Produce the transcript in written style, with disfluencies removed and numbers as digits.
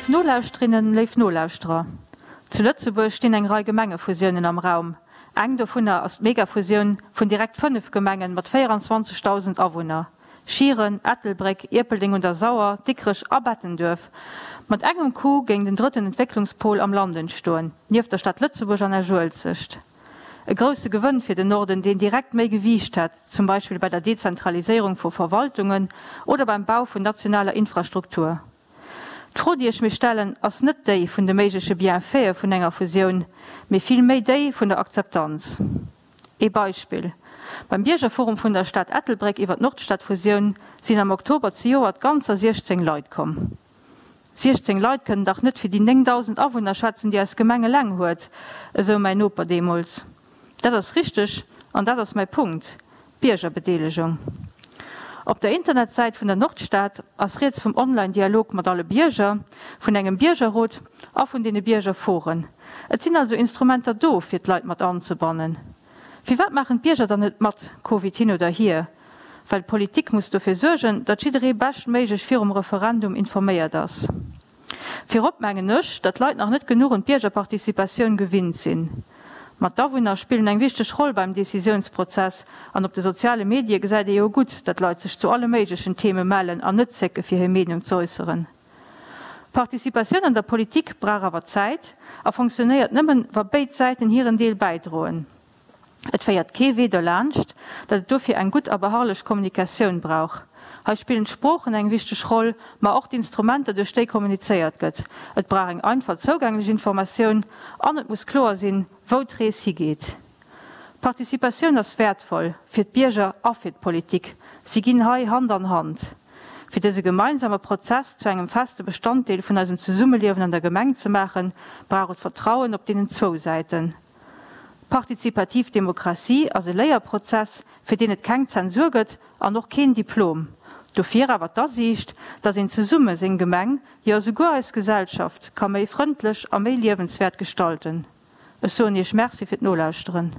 Léif Nolauschterinnen, léif Nolauschterer, zu Lëtzebuerg stinn eng Rei Gemengefusiounen am Raum. Eng dovunner ass d'Megafusioun vun direkt 5 Gemengen mat 24.000 Awunner, Schieren, Ettelbréck, Ierpeldeng un der Sauer, Dikrech a Bettenduerf. Mat engem Coup géing den drëtten Entwécklungspol am Land entstoen, nieft der Stad Lëtzebuerg an Esch-Uelzecht. E grousse Gewënn fir den Norden, deen direkt méi Gewiicht hätt, zum Beispill bei der Dezentraliséierung vu Verwaltungen oder beim Bau vun nationaler Infrastruktur. D'Fro, déi ech mir stellen, ass net déi vun de méigleche Bienfaite vun enger Fusioun, mee vill méi déi vun der Akzeptanz. Ee Beispill, Beim Biergerforum vun der Stad Ettelbréck iwwer d'Nordstadfusioun sinn am Oktober zejoert ganzer 16 Leit komm. 16 Leit kënnen dach net fir déi 9.000 Awunner schwätzen, déi eis Gemeng eleng huet, esou mäin Noper deemools. Dat ass richteg an dat ass mäi Punkt, Biergerbedeelegung. Op der Internetsäit vun der Nordstad ass rieds vum Online-Dialog mat alle Bierger, vun engem Biergerrot a vun deene Biergerforen. Et sinn also Instrumenter do, fir d'Leit mat anzebannen. Firwat maachen d'Bierger dann net mat, Covid hin oder hier? Well d'Politik muss dofir suergen, datt jidderee beschtméiglech virum Referendum informéiert ass. Virop mengen ech, datt d'Leit nach net genuch un d'Biergerparticipatioun gewinnt sinn. Ma d'Awunner spillen eng wichteg Roll beim Decisiounsprozess an op de soziale Medie gesäit ee jo gutt, datt Leit sech zu alle méiglechen Theme mellen an net zécke fir hir Meenung z'äusseren. Participatioun an der Politik brauch awer Zäit a fonctionnéiert nëmmen, wa béid Säiten hiren Deel bäidroen. Et féiert kee Wee derlaanscht, datt et dofir eng gutt a beharrlech Kommunikatioun brauch. Hei spillen d'Sproochen eng wichteg Roll, ma och d'Instrumenter, duerch déi kommunizéiert gëtt. Et brauch eng einfach zougänglech Informatioun an et muss kloer sinn, wou d'Rees higeet. Participatioun ass wäertvoll fir d'Bierger a fir d'Politik. Si ginn hei Hand an Hand. Fir dëse gemeinsame Prozess zu engem feste Bestanddeel vun eisem Zesummeliewen an der Gemeng ze maachen, brauch et Vertrauen op deenen zwou Säiten. Partizipativ Demokratie ass e Léierprozess, fir deen et keng Zensur gëtt an och keen Diplom. Dofir awer d'Asiicht, datt een zesumme seng Gemeng, jo esouguer eis Gesellschaft ka méi frëndlech a méi liewenswäert gestalten. Ech soen Iech Merci fir d'Nolauschteren.